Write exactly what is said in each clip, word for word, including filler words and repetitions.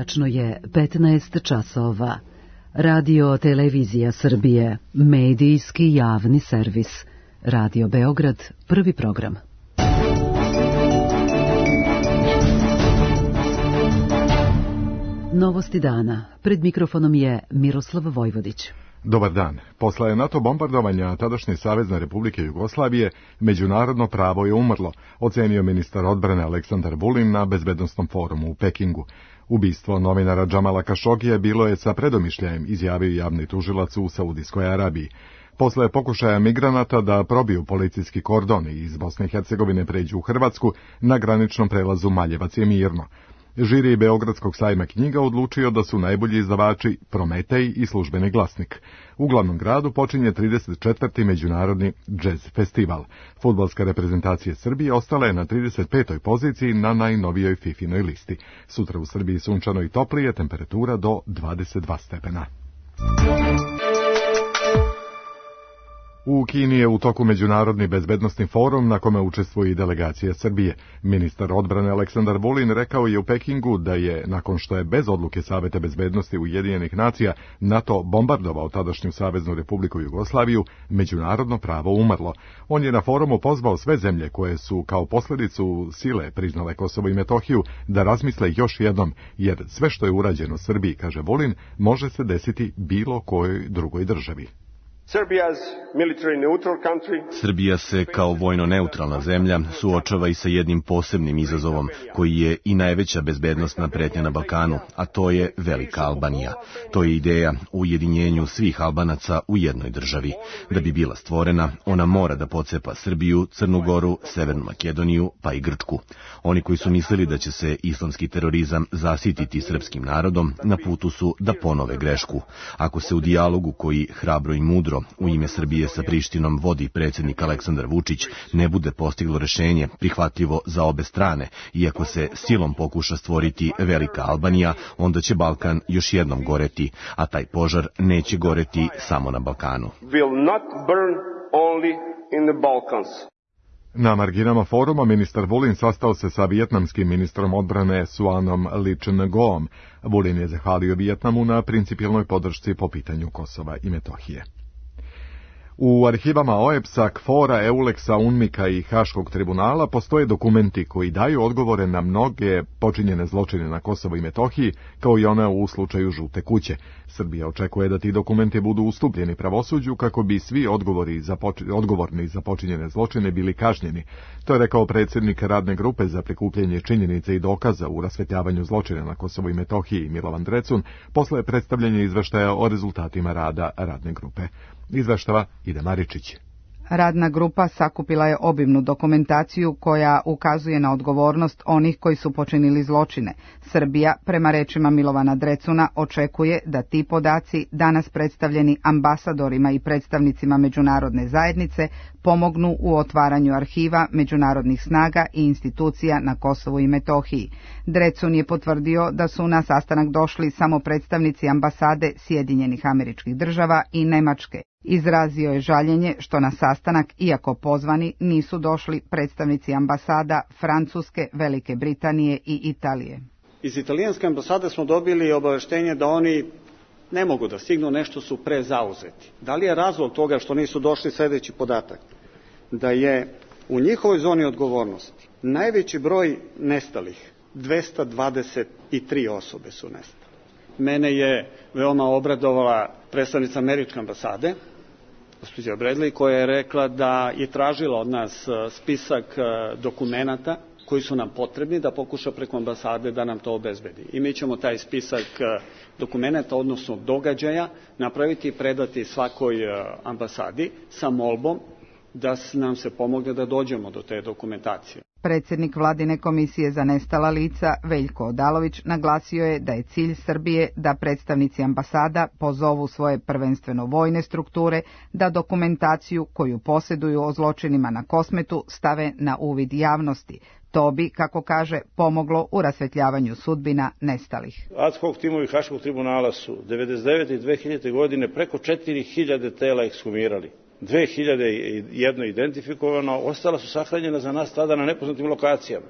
Tačno je petnaest časova. Radio Televizija Srbije, medijski javni servis. Radio Beograd, prvi program. Novosti dana. Pred mikrofonom je Miroslav Vojvodić. Dobar dan. Posle NATO bombardovanja tadašnje Savezne Republike Jugoslavije, međunarodno pravo je umrlo, ocenio ministar odbrane Aleksandar Vulin na Bezbednosnom forumu u Pekingu. Ubistvo novinara Džamala Kašogija bilo je sa predomišljajem, izjavio javni tužilac u Saudijskoj Arabiji. Posle pokušaja migranata da probiju policijski kordon i iz Bosne i Hercegovine pređu u Hrvatsku, na graničnom prelazu Maljevac je mirno. Žiri Beogradskog sajma knjiga odlučio da su najbolji izdavači Prometej i Službeni glasnik. U glavnom gradu počinje trideset četvrti međunarodni džez festival. Fudbalska reprezentacija Srbije ostala je na trideset petoj poziciji na najnovijoj fifinoj listi. Sutra u Srbiji sunčano i toplije, temperatura do dvadeset dva stepena. U Kini je u toku međunarodni bezbednosni forum na kome učestvuje i delegacija Srbije. Ministar odbrane Aleksandar Vulin rekao je u Pekingu da je, nakon što je bez odluke Saveta bezbednosti Ujedinjenih nacija NATO bombardovao tadašnju Saveznu Republiku Jugoslaviju, međunarodno pravo umrlo. On je na forumu pozvao sve zemlje koje su kao posljedicu sile priznale Kosovo i Metohiju da razmisle još jednom, jer sve što je urađeno Srbiji, kaže Vulin, može se desiti bilo kojoj drugoj državi. Srbija se kao vojno neutralna zemlja suočava i sa jednim posebnim izazovom koji je i najveća bezbednosna pretnja na Balkanu, a to je Velika Albanija. To je ideja o ujedinjenju svih Albanaca u jednoj državi. Da bi bila stvorena, ona mora da pocepa Srbiju, Crnu Goru, Severnu Makedoniju pa i Grčku. Oni koji su mislili da će se islamski terorizam zasititi srpskim narodom, na putu su da ponove grešku. Ako se u dijalogu koji hrabro i mudro u ime Srbije sa Prištinom vodi predsjednik Aleksandar Vučić, ne bude postiglo rešenje prihvatljivo za obe strane, iako se silom pokuša stvoriti Velika Albanija, onda će Balkan još jednom goreti, a taj požar neće goreti samo na Balkanu. Na marginama foruma ministar Vulin sastao se sa vijetnamskim ministrom odbrane Suanom Lee-Chun-goom. Vulin je zahvalio Vijetnamu na principijelnoj podršci po pitanju Kosova i Metohije. U arhivama O E B S-a, K F O R-a, EULEX-a, UNMIK-a i Haškog tribunala postoje dokumenti koji daju odgovore na mnoge počinjene zločine na Kosovo i Metohiji, kao i one u slučaju Žute kuće. Srbija očekuje da ti dokumenti budu ustupljeni pravosuđu kako bi svi odgovori za poč... odgovorni za počinjene zločine bili kažnjeni. To je rekao predsjednik radne grupe za prikupljanje činjenica i dokaza u rasvetljavanju zločina na Kosovo i Metohiji Milovan Drecun posle predstavljanja izveštaja o rezultatima rada radne grupe. Izveštava Ida Maričić. Radna grupa sakupila je obimnu dokumentaciju koja ukazuje na odgovornost onih koji su počinili zločine. Srbija, prema rečima Milovana Drecuna, očekuje da ti podaci, danas predstavljeni ambasadorima i predstavnicima međunarodne zajednice, pomognu u otvaranju arhiva međunarodnih snaga i institucija na Kosovu i Metohiji. Drecun je potvrdio da su na sastanak došli samo predstavnici ambasade Sjedinjenih Američkih Država i Nemačke. Izrazio je žaljenje što na sastanak, iako pozvani, nisu došli predstavnici ambasada Francuske, Velike Britanije i Italije. Iz italijanske ambasade smo dobili obaveštenje da oni ne mogu da stignu, nešto su prezauzeti. Da li je razlog toga što nisu došli sljedeći podatak? Da je u njihovoj zoni odgovornosti najveći broj nestalih, dvesta dvadeset tri osobe su nestale. Mene je veoma obradovala predstavnica američke ambasade, gospođa Bradley, koja je rekla da je tražila od nas spisak dokumenata koji su nam potrebni da pokuša preko ambasade da nam to obezbedi. I mi ćemo taj spisak dokumenata, odnosno događaja, napraviti i predati svakoj ambasadi sa molbom da nam se pomogne da dođemo do te dokumentacije. Predsjednik Vladine komisije za nestala lica, Veljko Odalović, naglasio je da je cilj Srbije da predstavnici ambasada pozovu svoje prvenstveno vojne strukture da dokumentaciju koju posjeduju o zločinima na Kosmetu stave na uvid javnosti. To bi, kako kaže, pomoglo u rasvetljavanju sudbina nestalih. Ad hoc timovi Haškog tribunala su devedeset devete i dve hiljadite. godine preko četiri hiljade tela ekshumirali. dve hiljade jedno identifikovano, ostala su sahranjena za nas tada na nepoznatim lokacijama.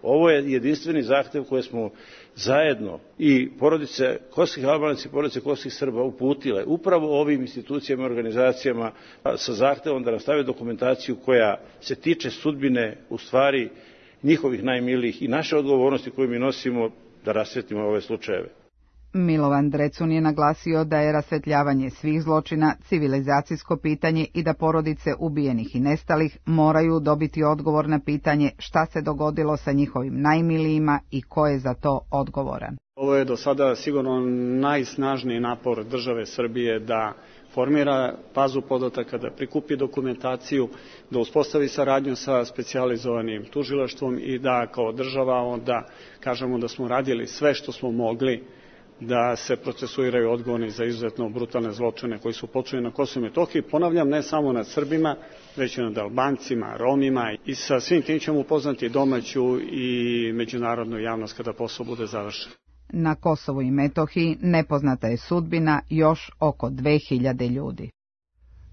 Ovo je jedinstveni zahtev koje smo zajedno i porodice kosovskih Albanaca i porodice kosovskih Srba uputile upravo ovim institucijama i organizacijama sa zahtevom da nam stave dokumentaciju koja se tiče sudbine u stvari njihovih najmilijih i naše odgovornosti koju mi nosimo da rasvetimo ove slučajeve. Milovan Drecun je naglasio da je rasvetljavanje svih zločina civilizacijsko pitanje i da porodice ubijenih i nestalih moraju dobiti odgovor na pitanje šta se dogodilo sa njihovim najmilijima i ko je za to odgovoran. Ovo je do sada sigurno najsnažniji napor države Srbije da formira bazu podataka, da prikupi dokumentaciju, da uspostavi saradnju sa specijalizovanim tužilaštvom i da kao država onda kažemo da smo radili sve što smo mogli da se procesuiraju odgovorni za izuzetno brutalne zločine koji su počinjeni na Kosovu i Metohiji. Ponavljam, ne samo nad Srbima, već i nad Albancima, Romima i sa svim tim ćemo upoznati domaću i međunarodnu javnost kada posao bude završen. Na Kosovu i Metohiji nepoznata je sudbina još oko dve hiljade ljudi.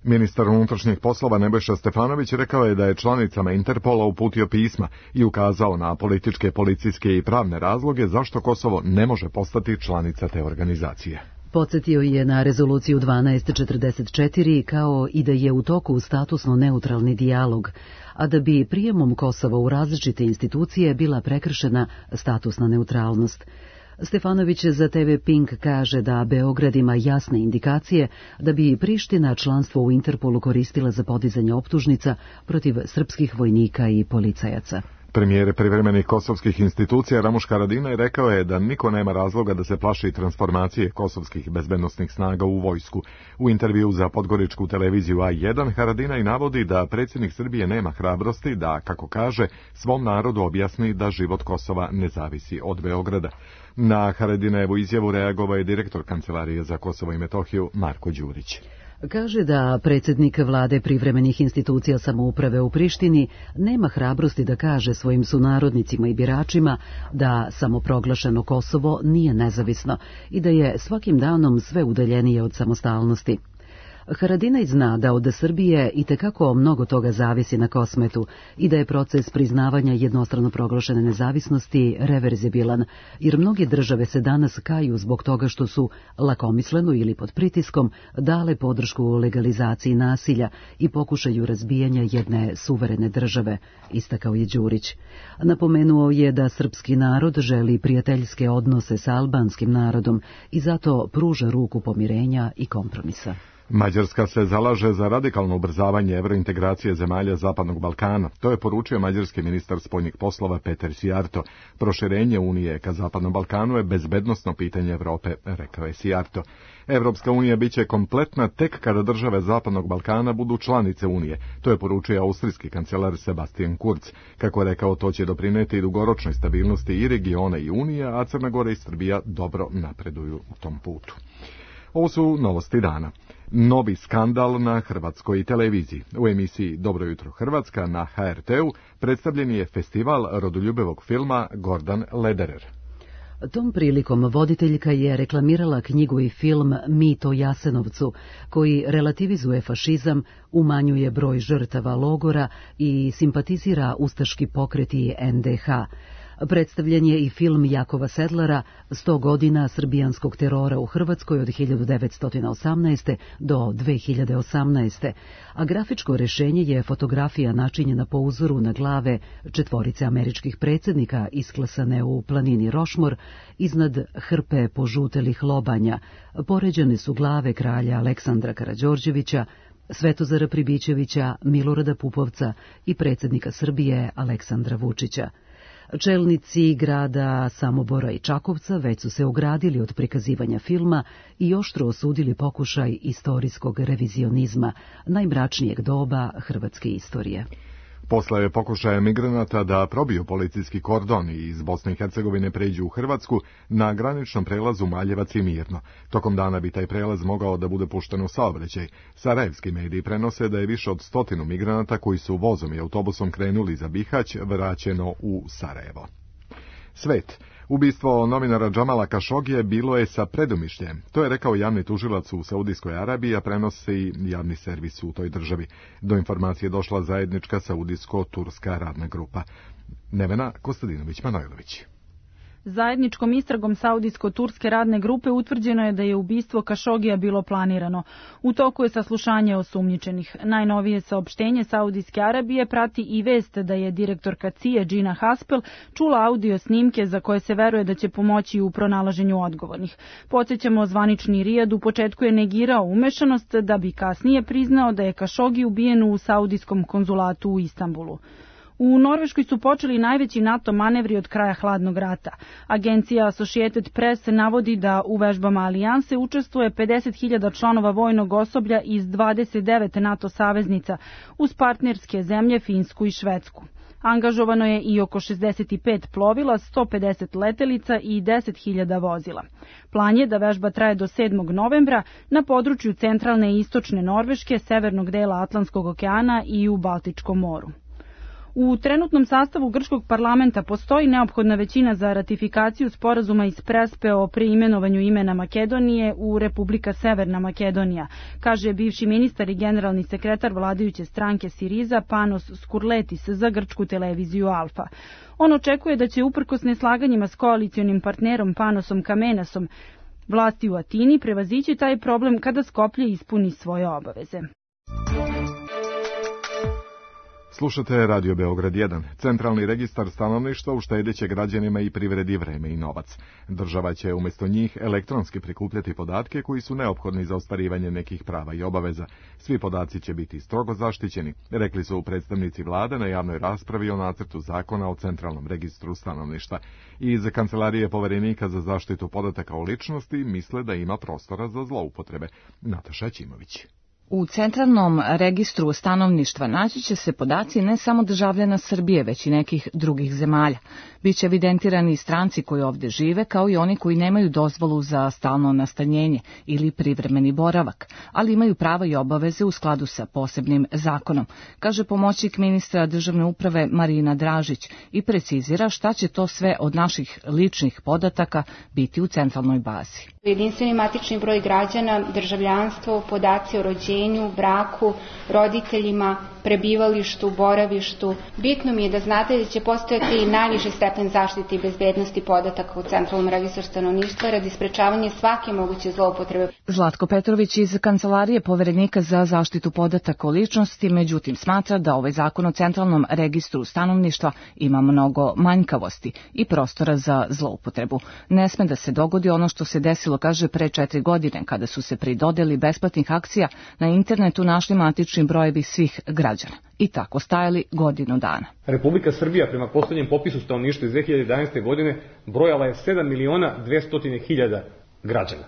Ministar unutrašnjih poslova Nebojša Stefanović rekao je da je članicama Interpola uputio pisma i ukazao na političke, policijske i pravne razloge zašto Kosovo ne može postati članica te organizacije. Podsjetio je na rezoluciju dvanaest četrdeset četiri kao i da je u toku statusno neutralni dijalog, a da bi prijemom Kosova u različite institucije bila prekršena statusna neutralnost. Stefanović za te ve Pink kaže da Beograd ima jasne indikacije da bi Priština članstvo u Interpolu koristila za podizanje optužnica protiv srpskih vojnika i policajaca. Premijer privremenih kosovskih institucija Ramuš Haradinaj rekao je da niko nema razloga da se plaši transformacije kosovskih bezbednosnih snaga u vojsku. U intervju za podgoričku televiziju A jedan Haradinaj navodi da predsjednik Srbije nema hrabrosti da, kako kaže, svom narodu objasni da život Kosova ne zavisi od Beograda. Na Haradinajevu izjavu reagovao je direktor Kancelarije za Kosovo i Metohiju Marko Đurić. Kaže da predsjednik vlade privremenih institucija samouprave u Prištini nema hrabrosti da kaže svojim sunarodnicima i biračima da samoproglašeno Kosovo nije nezavisno i da je svakim danom sve udaljenije od samostalnosti. Haradinaj zna da od Srbije itekako mnogo toga zavisi na Kosmetu i da je proces priznavanja jednostrano proglašene nezavisnosti reverzibilan, jer mnoge države se danas kaju zbog toga što su lakomisleno ili pod pritiskom dale podršku legalizaciji nasilja i pokušaju razbijanja jedne suverene države, istakao je Đurić. Napomenuo je da srpski narod želi prijateljske odnose sa albanskim narodom i zato pruža ruku pomirenja i kompromisa. Mađarska se zalaže za radikalno ubrzavanje evrointegracije zemalja Zapadnog Balkana. To je poručio mađarski ministar spoljnih poslova Peter Sijarto. Proširenje Unije ka Zapadnom Balkanu je bezbednosno pitanje Evrope, rekao je Sijarto. Evropska unija biće kompletna tek kada države Zapadnog Balkana budu članice Unije. To je poručio austrijski kancelar Sebastian Kurz. Kako je rekao, to će doprineti dugoročnoj stabilnosti i regiona i Unije, a Crna Gora i Srbija dobro napreduju u tom putu. Ovo su novosti dana. Novi skandal na hrvatskoj televiziji. U emisiji Dobro jutro Hrvatska na ha er te-u predstavljen je festival rodoljubivog filma Gordan Lederer. Tom prilikom voditeljka je reklamirala knjigu i film Mit o Jasenovcu, koji relativizuje fašizam, umanjuje broj žrtava logora i simpatizira ustaški pokret i en de ha. Predstavljen je i film Jakova Sedlara sto godina srbijanskog terora u Hrvatskoj od hiljadu devetsto osamnaeste. do dve hiljade osamnaeste. a grafičko rešenje je fotografija načinjena po uzoru na glave četvorice američkih predsjednika isklesane u planini Rošmor iznad hrpe požutelih lobanja. Poređane su glave kralja Aleksandra Karađorđevića, Svetozara Pribićevića, Milorada Pupovca i predsjednika Srbije Aleksandra Vučića. Čelnici grada Samobora i Čakovca već su se ogradili od prikazivanja filma i oštro osudili pokušaj istorijskog revizionizma, najmračnijeg doba hrvatske istorije. Posle je pokušaja migranata da probiju policijski kordon i iz Bosne i Hercegovine pređu u Hrvatsku, na graničnom prelazu Maljevac i Mirno. Tokom dana bi taj prelaz mogao da bude pušten u saobraćaj. Sarajevski mediji prenose da je više od stotinu migranata koji su vozom i autobusom krenuli za Bihać vraćeno u Sarajevo. Svet. Ubistvo novinara Džamala Kašogije bilo je sa predumišljem. To je rekao javni tužilac u Saudijskoj Arabiji, a prenosi javni servis u toj državi. Do informacije došla zajednička saudijsko-turska radna grupa. Nevena Kostadinović-Manojlović. Zajedničkom istragom Saudijsko-turske radne grupe utvrđeno je da je ubistvo Kašogija bilo planirano. U toku je saslušanje osumnjičenih. Najnovije saopštenje Saudijske Arabije prati i vest da je direktorka C I E Gina Haspel čula audio snimke za koje se veruje da će pomoći u pronalaženju odgovornih. Podsjećamo, zvanični Rijad u početku je negirao umešanost, da bi kasnije priznao da je Kašogi ubijen u saudijskom konzulatu u Istanbulu. U Norveškoj su počeli najveći NATO manevri od kraja hladnog rata. Agencija Associated Press navodi da u vežbama alijanse učestvuje pedeset hiljada članova vojnog osoblja iz dvadeset devet NATO saveznica, uz partnerske zemlje Finsku i Švedsku. Angažovano je i oko šezdeset pet plovila, sto pedeset letelica i deset hiljada vozila. Plan je da vežba traje do sedmog novembra na području centralne i istočne Norveške, severnog dela Atlantskog okeana i u Baltičkom moru. U trenutnom sastavu grčkog parlamenta postoji neophodna većina za ratifikaciju sporazuma iz Prespe o preimenovanju imena Makedonije u Republika Severna Makedonija, kaže bivši ministar i generalni sekretar vladajuće stranke Siriza Panos Skurletis za grčku televiziju Alfa. On očekuje da će uprkos neslaganjima s koalicionim partnerom Panosom Kamenasom vlasti u Atini prevazići taj problem kada Skoplje ispuni svoje obaveze. Slušate Radio Beograd jedan. Centralni registar stanovništva uštedeće građanima i privredi vreme i novac. Država će umjesto njih elektronski prikupljati podatke koji su neophodni za ostvarivanje nekih prava i obaveza. Svi podaci će biti strogo zaštićeni, rekli su predstavnici vlade na javnoj raspravi o nacrtu zakona o centralnom registru stanovništva. Iz Kancelarije poverenika za zaštitu podataka o ličnosti misle da ima prostora za zloupotrebe. Nataša Ćimović. U centralnom registru stanovništva naći će se podaci ne samo državljana Srbije, već i nekih drugih zemalja. Biće evidentirani stranci koji ovdje žive, kao i oni koji nemaju dozvolu za stalno nastanjenje ili privremeni boravak, ali imaju prava i obaveze u skladu sa posebnim zakonom, kaže pomoćnik ministra državne uprave Marina Dražić i precizira šta će to sve od naših ličnih podataka biti u centralnoj bazi. Jedinstveni matični broj građana, državljanstvo, podaci o rođenju, braku, roditeljima, prebivalištu, boravištu. Bitno mi je da znate da će postojati najviši stepen zaštite i bezbednosti podataka u centralnom registru stanovništva radi sprečavanja svake moguće zloupotrebe. Zlatko Petrović iz Kancelarije poverenika za zaštitu podataka o ličnosti, međutim smatra da ovaj zakon o centralnom registru stanovništva ima mnogo manjkavosti i prostora za zloupotrebu. Ne sme da se dogodi ono što se desilo, kaže, pre četiri godine, kada su se pri dodeli besplatnih akcija na internetu našli matični brojevi svih građana i tako stajali godinu dana. Republika Srbija prema poslednjem popisu stanovništva iz dve hiljade jedanaeste. godine brojala je sedam miliona dvesta hiljada građana.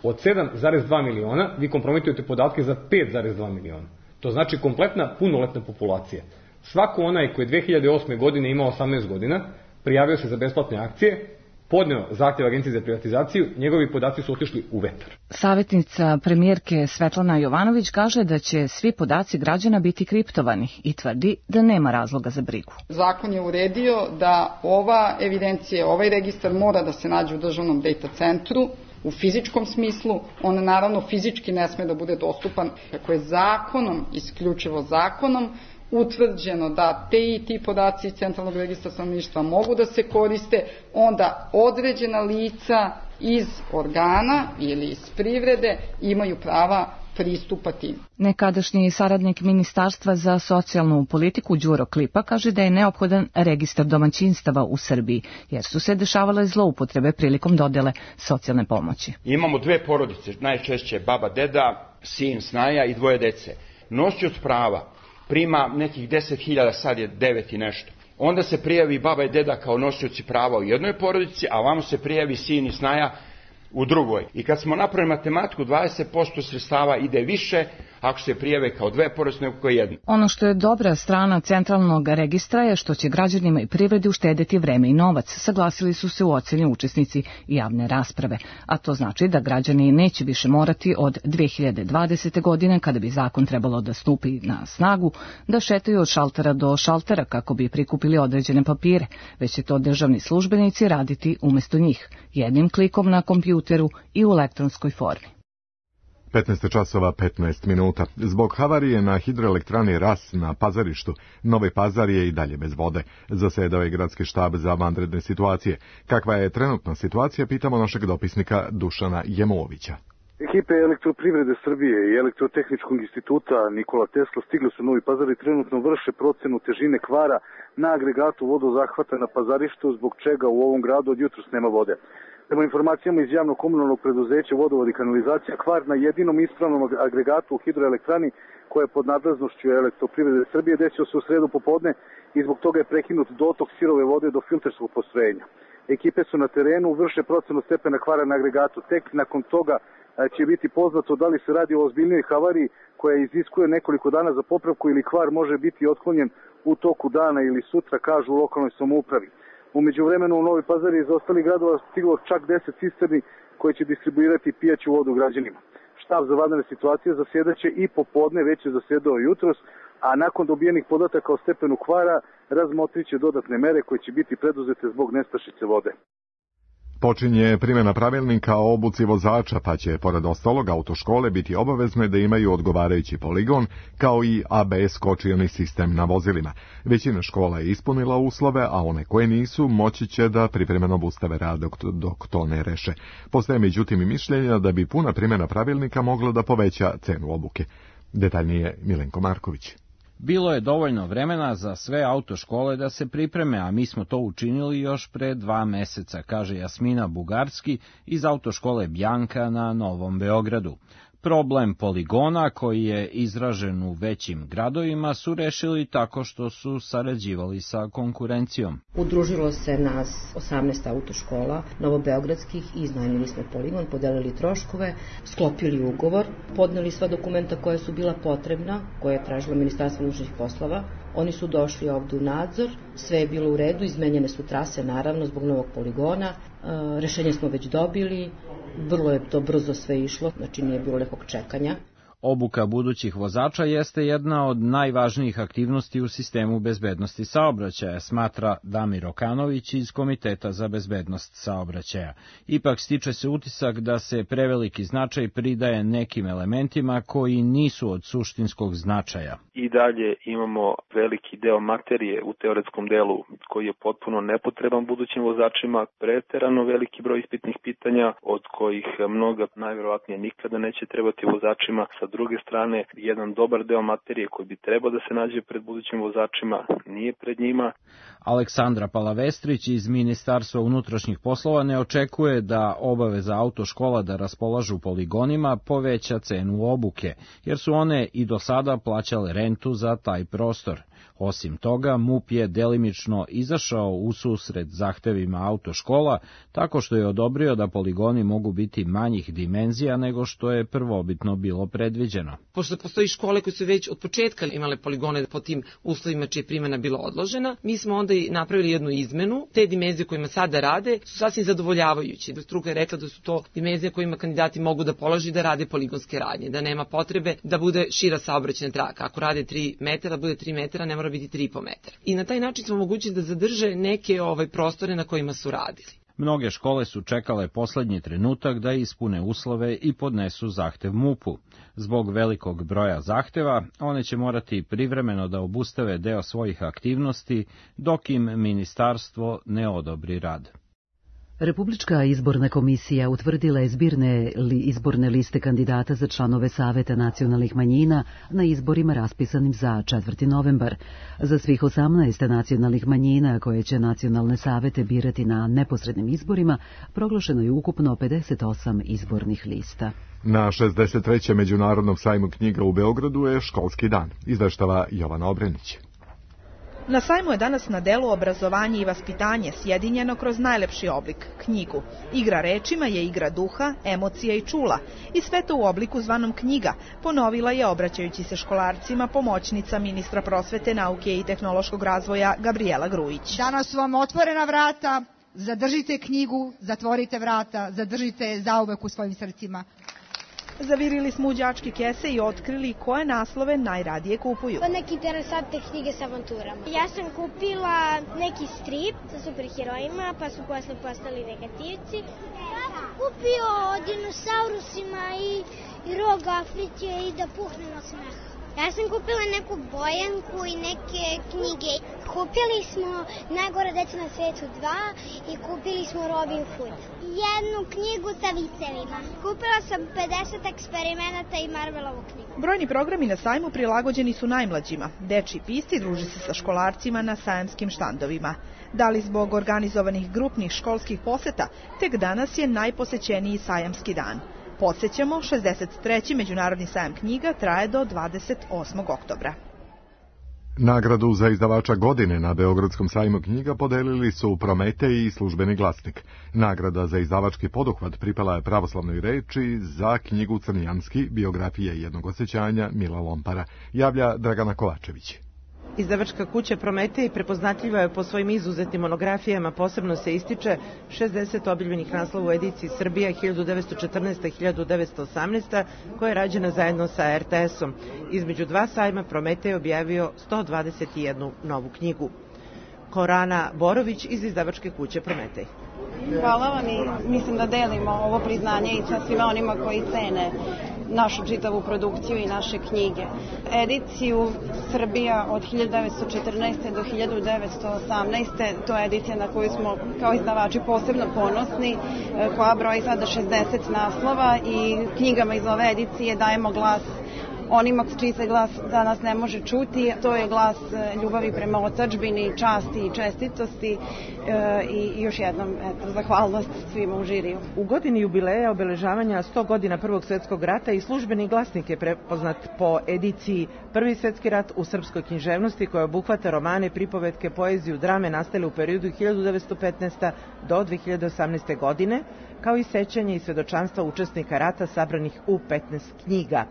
Od sedam zarez dva miliona vi kompromitujete podatke za pet zarez dva miliona. To znači kompletna punoletna populacija. Svako onaj koji je dve hiljade osme. godine imao osamnaest godina, prijavio se za besplatne akcije, podneo zahtjev Agenciji za privatizaciju, njegovi podaci su otišli u vetar. Savjetnica premijerke Svetlana Jovanović kaže da će svi podaci građana biti kriptovani i tvrdi da nema razloga za brigu. Zakon je uredio da ova evidencija, ovaj registar mora da se nađe u državnom data centru, u fizičkom smislu. On naravno fizički ne sme da bude dostupan. Kako je zakonom, isključivo zakonom, utvrđeno da te i ti podaci iz centralnog registra stanovništva mogu da se koriste, onda određena lica iz organa ili iz privrede imaju prava pristupati. Nekadašnji saradnik Ministarstva za socijalnu politiku Đuro Klipa kaže da je neophodan registar domaćinstava u Srbiji, jer su se dešavale zloupotrebe prilikom dodele socijalne pomoći. Imamo dve porodice, najčešće baba, deda, sin, snaja i dvoje dece. Nosioc prava prima nekih deset hiljada, sad je devet i nešto. Onda se prijavi baba i deda kao nosioci prava u jednoj porodici, a vamo se prijavi sin i snaja u drugoj. I kad smo napravili matematiku, dvadeset posto sredstava ide više ako se prijave kao dve porodice nego kao jedno. Ono što je dobra strana centralnog registra je što će građanima i privredi uštedeti vreme i novac, saglasili su se u oceni učesnici javne rasprave. A to znači da građani neće više morati od dve hiljade dvadesete. godine, kada bi zakon trebalo da stupi na snagu, da šetaju od šaltera do šaltera kako bi prikupili određene papire, već će to državni službenici raditi umjesto njih, jednim klikom na kompjuteru i u elektronskoj formi. petnaest časova petnaest minuta. Zbog havarije na hidroelektrani Ras na Pazarištu, Novi Pazar je i dalje bez vode. Zasedao je gradski štab za vanredne situacije. Kakva je trenutna situacija, pitamo našeg dopisnika Dušana Jemovića. Ekipe Elektroprivrede Srbije i Elektrotehničkog instituta Nikola Tesla stigli su u Novi Pazar i trenutno vrše procenu težine kvara na agregatu vodozahvata na Pazarištu, zbog čega u ovom gradu od jutros nema vode. Prema informacijama iz javnog komunalnog preduzeća Vodovod i kanalizacija, kvar na jedinom ispravnom agregatu u hidroelektrani koja je pod nadležnošću Elektroprivrede Srbije desio se u sredu popodne i zbog toga je prekinut dotok sirove vode do filterskog postrojenja. Ekipe su na terenu, vrše procenu stepena kvara na agregatu. Tek nakon toga će biti poznato da li se radi o ozbiljnoj havariji koja iziskuje nekoliko dana za popravku ili kvar može biti otklonjen u toku dana ili sutra, kažu u lokalnoj samoupravi. U međuvremenu u Novi Pazar iz ostalih gradova stiglo čak deset cisterni koje će distribuirati pijaću vodu građanima. Štab za vanredne situacije zasjedaće i popodne, već je zasjedao jutros, a nakon dobijenih podataka o stepenu kvara razmotriće dodatne mere koje će biti preduzete zbog nestašice vode. Počinje primjena pravilnika o obuci vozača, pa će, pored ostalog, autoškole biti obavezne da imaju odgovarajući poligon, kao i A B S kočioni sistem na vozilima. Većina škola je ispunila uslove, a one koje nisu moći će da privremeno obustave rad dok, dok to ne reše. Postoje međutim i mišljenja da bi puna primjena pravilnika mogla da poveća cenu obuke. Detaljnije Milenko Marković. Bilo je dovoljno vremena za sve autoškole da se pripreme, a mi smo to učinili još pre dva meseca, kaže Jasmina Bugarski iz autoškole Bjanka na Novom Beogradu. Problem poligona, koji je izražen u većim gradovima, su rešili tako što su sarađivali sa konkurencijom. Udružilo se nas osamnaest autoškola novobeogradskih i iznajmili smo poligon, podelili troškove, sklopili ugovor, podneli sva dokumenta koja su bila potrebna, koje je tražilo Ministarstvo unutrašnjih poslova. Oni su došli ovdje u nadzor, sve je bilo u redu, izmenjene su trase naravno zbog novog poligona, e, rešenje smo već dobili, vrlo je to brzo sve išlo, znači nije bilo nekog čekanja. Obuka budućih vozača jeste jedna od najvažnijih aktivnosti u sistemu bezbednosti saobraćaja, smatra Damir Okanović iz Komiteta za bezbednost saobraćaja. Ipak stiče se utisak da se preveliki značaj pridaje nekim elementima koji nisu od suštinskog značaja. I dalje imamo veliki deo materije u teoretskom delu koji je potpuno nepotreban budućim vozačima, preterano veliki broj ispitnih pitanja od kojih mnoga najverovatnije nikada neće trebati vozačima. Sa druge strane, jedan dobar deo materije koji bi trebao da se nađe pred budućim vozačima nije pred njima. Aleksandra Palavestrić iz Ministarstva unutrašnjih poslova ne očekuje da obaveza autoškola da raspolažu poligonima poveća cenu obuke, jer su one i do sada plaćale rentu za taj prostor. Osim toga, MUP je delimično izašao u susret zahtevima autoškola, tako što je odobrio da poligoni mogu biti manjih dimenzija nego što je prvobitno bilo predviđeno. Pošto postoji škole koje su već od početka imale poligone po tim uslovima čija je primjena bila odložena, mi smo onda i napravili jednu izmenu. Te dimenzije kojima sada rade su sasvim zadovoljavajući. Struka je rekla da su to dimenzije kojima kandidati mogu da položi da rade poligonske radnje, da nema potrebe da bude šira saobraćajna traka. Ako rade tri metara, bude tri metara, ne mora biti tri i po metara. I na taj način smo omogućili da zadrže neke ovaj prostore na kojima su radili. Mnoge škole su čekale poslednji trenutak da ispune uslove i podnesu zahtev MUP-u. Zbog velikog broja zahteva, one će morati privremeno da obustave deo svojih aktivnosti, dok im ministarstvo ne odobri rad. Republička izborna komisija utvrdila je zbirne li izborne liste kandidata za članove Saveta nacionalnih manjina na izborima raspisanim za četvrti novembar. Za svih osamnaest nacionalnih manjina koje će nacionalne savete birati na neposrednim izborima, proglašeno je ukupno pedeset osam izbornih lista. Na šezdeset trećem Međunarodnom sajmu knjiga u Beogradu je školski dan, izveštava Jovana Obrenić. Na sajmu je danas na delu obrazovanje i vaspitanje sjedinjeno kroz najlepši oblik, knjigu. Igra rečima je igra duha, emocija i čula i sve to u obliku zvanom knjiga, ponovila je obraćajući se školarcima pomoćnica ministra prosvete, nauke i tehnološkog razvoja Gabriela Grujić. Danas su vam otvorena vrata, zadržite knjigu, zatvorite vrata, zadržite je zauvek u svojim srcima. Zavirili smo u đačke kese i otkrili koje naslove najradije kupuju. Neke interesantne knjige sa avanturama. Ja sam kupila neki strip sa superherojima, pa su posle postali negativci. kupio o dinosaurusima i, i rog Afrike i da puhnem od smeha. Ja sam kupila neku bojanku i neke knjige. Kupili smo Najgora deca na svetu dva i kupili smo Robin Hood. Jednu knjigu sa vicevima. Kupila sam pedeset eksperimenata i Marvelovu knjigu. Brojni programi na sajmu prilagođeni su najmlađima. Dečji pisti druži se sa školarcima na sajamskim štandovima. Da li zbog organizovanih grupnih školskih poseta, tek danas je najposećeniji sajamski dan. Podsećamo, šezdeset treći Međunarodni sajam knjiga traje do dvadeset osmog oktobra. Nagradu za izdavača godine na Beogradskom sajmu knjiga podelili su Prometej i Službeni glasnik. Nagrada za izdavački poduhvat pripala je Pravoslavnoj reči za knjigu Crnjanski, biografija jednog osjećanja Mila Lompara, javlja Dragana Kovačević. Izdavačka kuća Prometej prepoznatljiva je po svojim izuzetnim monografijama, posebno se ističe šezdeset objavljenih naslova u ediciji Srbija hiljadu devetsto četrnaesta. i hiljadu devetsto osamnaesta. koja je rađena zajedno sa er te esom. Između dva sajma Prometej objavio sto dvadeset jednu novu knjigu. Korana Borović iz izdavačke kuće Prometej. Hvala vam i mislim da delimo ovo priznanje i sa svima onima koji cene našu čitavu produkciju i naše knjige. Ediciju Srbija od hiljadu devetsto četrnaeste. do hiljadu devetsto osamnaeste. to je edicija na koju smo kao izdavači posebno ponosni, koja broji sada šezdeset naslova i knjigama iz ove edicije dajemo glas onima čiji se glas danas ne može čuti. To je glas ljubavi prema otadžbini, časti i čestitosti e, i još jednom eto, zahvalnost svima u žiriju. U godini jubileja obeležavanja sto godina Prvog svjetskog rata i Službeni glasnik je prepoznat po ediciji Prvi svjetski rat u srpskoj književnosti, koja obuhvata romane, pripovetke, poeziju, drame nastale u periodu hiljadu devetsto petnaeste. do dve hiljade osamnaeste. godine, kao i sećanje i svedočanstva učesnika rata sabranih u petnaest knjiga.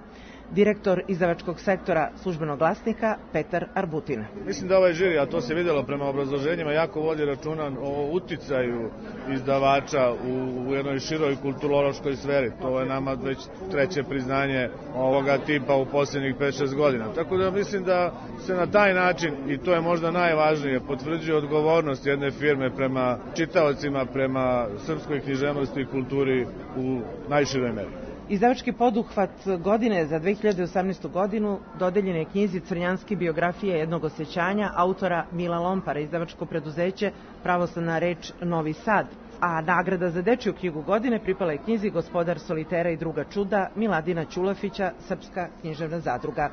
Direktor izdavačkog sektora Službenog glasnika Petar Arbutin. Mislim da ovaj žiri, a to se vidjelo prema obrazloženjima, jako vodi računa o uticaju izdavača u, u jednoj široj kulturološkoj sferi. To je nama već treće priznanje ovoga tipa u posljednjih pet šest godina. Tako da mislim da se na taj način, i to je možda najvažnije, potvrđuje odgovornost jedne firme prema čitaocima, prema srpskoj književnosti i kulturi u najširoj meri. Izdavački poduhvat godine za dve hiljade osamnaestu. godinu dodeljen je knjizi Crnjanski, biografija jednog osjećanja autora Mila Lompara, izdavačko preduzeće Pravoslavna reč Novi Sad. A nagrada za dečju knjigu godine pripala je knjizi Gospodar solitera i druga čuda Miladina Ćulafića, Srpska književna zadruga.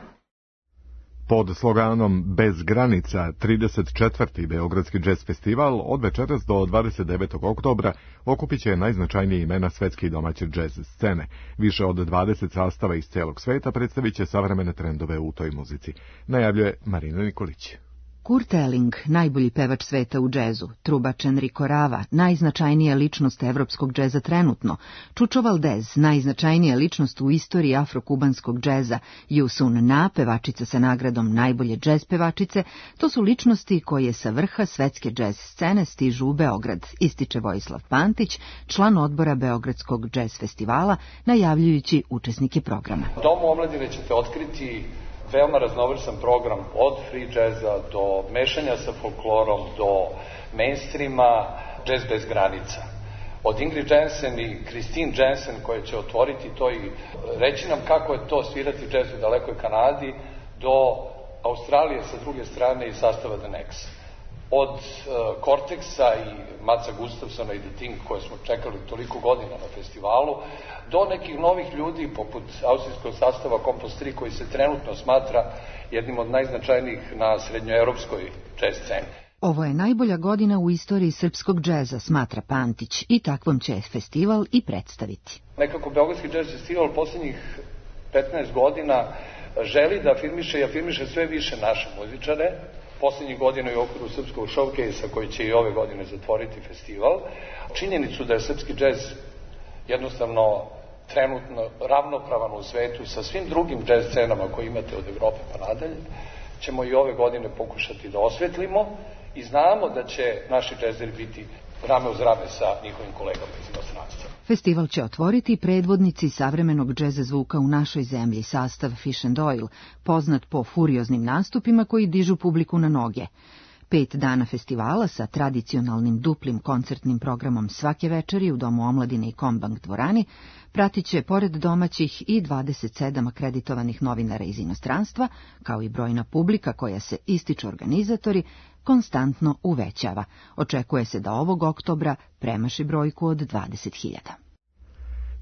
Pod sloganom Bez granica trideset četvrti. Beogradski džez festival od večeras do dvadeset devetog oktobra okupit će najznačajnije imena svetske i domaće džez scene. Više od dvadeset sastava iz celog sveta predstavit će savremene trendove u toj muzici, najavljuje Marina Nikolić. Kurt Elling, najbolji pevač sveta u džezu, trubač Enrico Rava, najznačajnija ličnost evropskog džeza trenutno, Čučo Valdez, najznačajnija ličnost u istoriji afrokubanskog džeza, Yusun Na, pevačica sa nagradom najbolje džez pevačice, to su ličnosti koje sa vrha svetske džez scene stižu u Beograd, ističe Vojislav Pantić, član odbora Beogradskog džez festivala, najavljujući učesnike programa. U Domu omladine ćete otkriti veoma raznovrstan program od free jazza do mešanja sa folklorom, do mainstreama, jazz bez granica. Od Ingrid Jensen i Christine Jensen koje će otvoriti to i reći nam kako je to svirati jazz u dalekoj Kanadi, do Australije sa druge strane i sastava The Next. Od uh, Cortexa i Matsa Gustafsona i The Thing koje smo čekali toliko godina na festivalu, do nekih novih ljudi poput austrijskog sastava Kompost tri koji se trenutno smatra jednim od najznačajnijih na srednjoevropskoj jazz sceni. Ovo je najbolja godina u istoriji srpskog džeza, smatra Pantić, i takvom će festival i predstaviti. Nekako Beogradski jazz festival posljednjih petnaest godina želi da afirmiše i afirmiše sve više naše muzičare. Posljednjih godina i u okviru srpskog showcase-a koji će i ove godine zatvoriti festival. Činjenicu da je srpski džez jednostavno trenutno ravnopravan u svetu sa svim drugim džez scenama koje imate od Evrope pa nadalje, ćemo i ove godine pokušati da osvetlimo i znamo da će naši džezeri biti rame uz rame sa njihovim kolegama iz inostranstva. Festival će otvoriti predvodnici savremenog džeza zvuka u našoj zemlji, sastav Fish and Oil, poznat po furioznim nastupima koji dižu publiku na noge. Pet dana festivala sa tradicionalnim duplim koncertnim programom svake večeri u Domu omladine i Kombank dvorani pratit će pored domaćih i dvadeset sedam akreditovanih novinara iz inostranstva, kao i brojna publika koja se, ističu organizatori, konstantno uvećava. Očekuje se da ovog oktobra premaši brojku od dvadeset hiljada.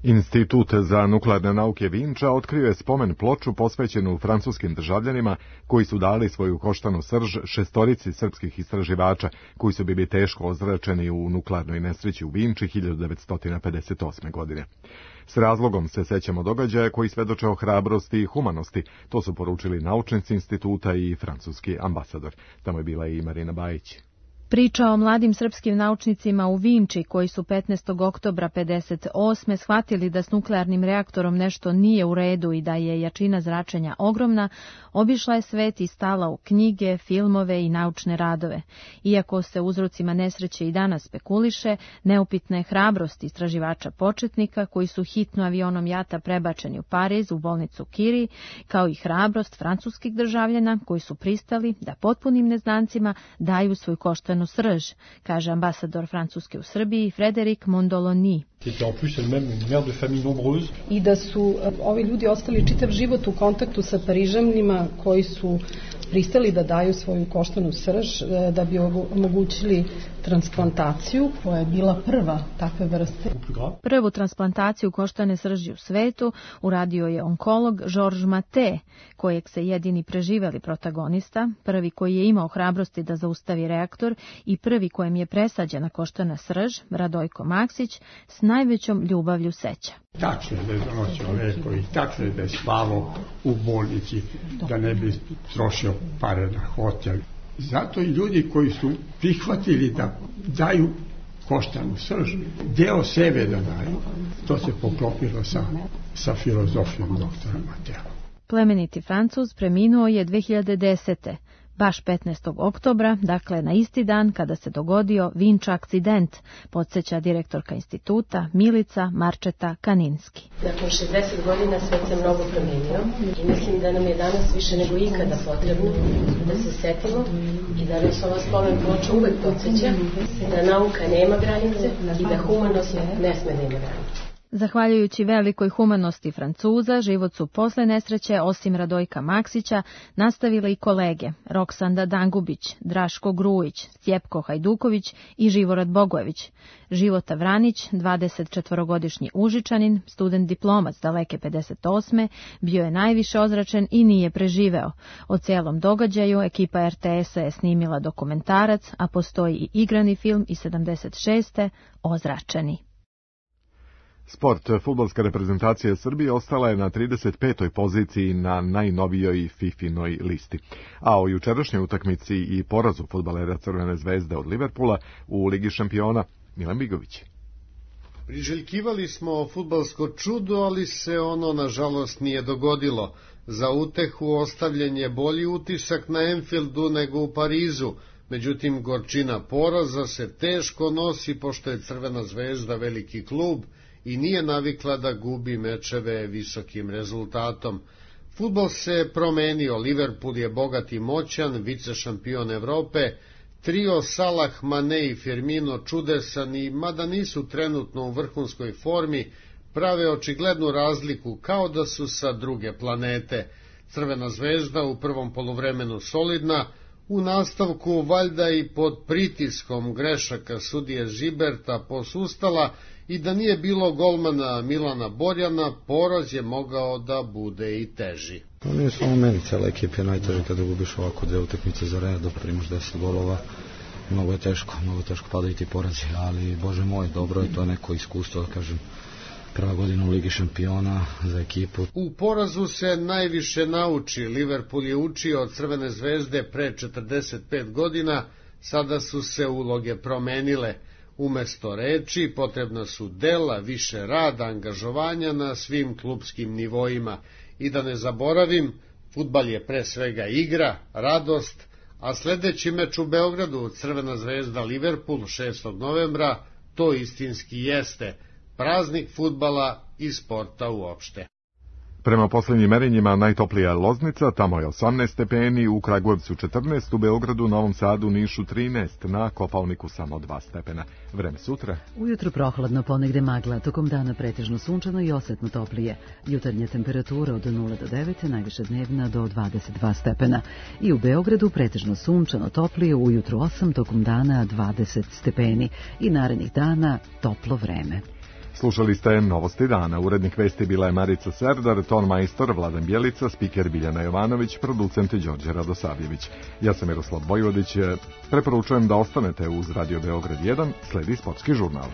Institut za nuklearne nauke Vinča otkrio je spomen ploču posvećenu francuskim državljanima koji su dali svoju koštanu srž šestorici srpskih istraživača koji su bili teško ozračeni u nuklearnoj nesreći u Vinči hiljadu devetsto pedeset osme. godine. S razlogom se sećamo događaja koji svedoče o hrabrosti i humanosti, to su poručili naučnici instituta i francuski ambasador. Tamo je bila i Marina Bajić. Priča o mladim srpskim naučnicima u Vinči koji su petnaestog oktobra pedeset osme shvatili da s nuklearnim reaktorom nešto nije u redu i da je jačina zračenja ogromna, obišla je svet i stala u knjige, filmove i naučne radove. Iako se uzrocima nesreće i danas spekuliše, neupitna je hrabrost istraživača početnika koji su hitno avionom jata prebačeni u Pariz u bolnicu Curie, kao i hrabrost francuskih državljana koji su pristali da potpunim neznancima daju svoj koštanu srž, kaže ambasador Francuske u Srbiji Frédéric Mondoloni. I da su ovi ljudi ostali čitav život u kontaktu sa Parižanima koji su pristali da daju svoju koštanu srž da bi omogućili transplantaciju koja je bila prva takve vrste. Prvu transplantaciju koštane srži u svetu uradio je onkolog Georges Maté, kojeg se jedini preživeli protagonista, prvi koji je imao hrabrosti da zaustavi reaktor i prvi kojem je presađena koštana srž, Radojko Maksić, s najvećom ljubavlju seća. Tačno je da je donosio leko i tačno je da je spavao u bolnici, da ne bi trošio pare na hotel. Zato i ljudi koji su prihvatili da daju koštanu srž, deo sebe da daju, to se poklopilo sa, sa filozofijom doktora Matea. Plemeniti Francuz preminuo je dve hiljade desete. Baš petnaestog oktobra, dakle na isti dan kada se dogodio Vinča akcident, podsjeća direktorka instituta Milica Marčeta Kaninski. Nakon šezdeset godina svet se mnogo promenio i mislim da nam je danas više nego ikada potrebno da se setimo i da nas ova spomen ploča uvek podsjeća da nauka nema granice i da humanost ne sme da ima granice. Zahvaljujući velikoj humanosti Francuza, život su posle nesreće, osim Radojka Maksića, nastavile i kolege Roksanda Dangubić, Draško Grujić, Stjepko Hajduković i Živorad Bogojević. Života Vranić, dvadesetčetvorogodišnji Užičanin, student diplomac daleke pedeset osme, bio je najviše ozračen i nije preživeo. O celom događaju ekipa er te esa je snimila dokumentarac, a postoji i igrani film iz sedamdeset šeste. Ozračeni. Sport. Fudbalska reprezentacija Srbije ostala je na trideset petoj poziciji na najnovijoj fifinoj listi. A o jučerašnjoj utakmici i porazu fudbalera Crvene zvezde od Liverpoola u Ligi šampiona Milan Bigović. Priželjkivali smo fudbalsko čudo, ali se ono nažalost nije dogodilo. Za utehu ostavljen je bolji utisak na Anfieldu nego u Parizu. Međutim, gorčina poraza se teško nosi pošto je Crvena zvezda veliki klub i nije navikla da gubi mečeve visokim rezultatom. Fudbal se promenio, Liverpool je bogat i moćan, vice šampion Evrope, trio Salah, Mane i Firmino čudesan i, mada nisu trenutno u vrhunskoj formi, prave očiglednu razliku kao da su sa druge planete. Crvena zvezda u prvom poluvremenu solidna, u nastavku valjda i pod pritiskom grešaka sudije Žiberta posustala i da nije bilo golmana Milana Borjana, poraz je mogao da bude i teži. No, nije samo meni, cela ekipa je najteže kada gubiš ovako dve utakmice za redom, primaš deset golova, mnogo je teško, mnogo teško padaju ti porazi, ali bože moj, dobro je to neko iskustvo, da kažem, prva godina u Ligi šampiona za ekipu. U porazu se najviše nauči, Liverpool je učio od Crvene zvezde pre četrdeset pet godina, sada su se uloge promenile. Umesto reči potrebna su dela, više rada, angažovanja na svim klupskim nivoima. I da ne zaboravim, fudbal je pre svega igra, radost, a sledeći meč u Beogradu, Crvena zvezda Liverpool šestog novembra, to istinski jeste praznik fudbala i sporta uopšte. Prema poslednjim merenjima najtoplija je Loznica, tamo je osamnaest stepeni, u Kragujevcu četrnaest, u Beogradu, Novom Sadu, Nišu trinaest, na Kopaoniku samo dva stepena. Vreme sutra. Ujutro prohladno, ponegde magla, tokom dana pretežno sunčano i osetno toplije. Jutarnja temperatura od nula do devet, najviše dnevna do dvadeset dva stepena. I u Beogradu pretežno sunčano toplije, ujutro osam, tokom dana dvadeset stepeni. I narednih dana toplo vreme. Slušali ste Novosti dana. Urednik vesti bila je Marica Serdar, ton majstor Vladan Bjelica, spiker Biljana Jovanović, producent Đorđe Radosavljević. Ja sam Miroslav Vojvodić. Preporučujem da ostanete uz Radio Beograd jedan, sledi sportski žurnal.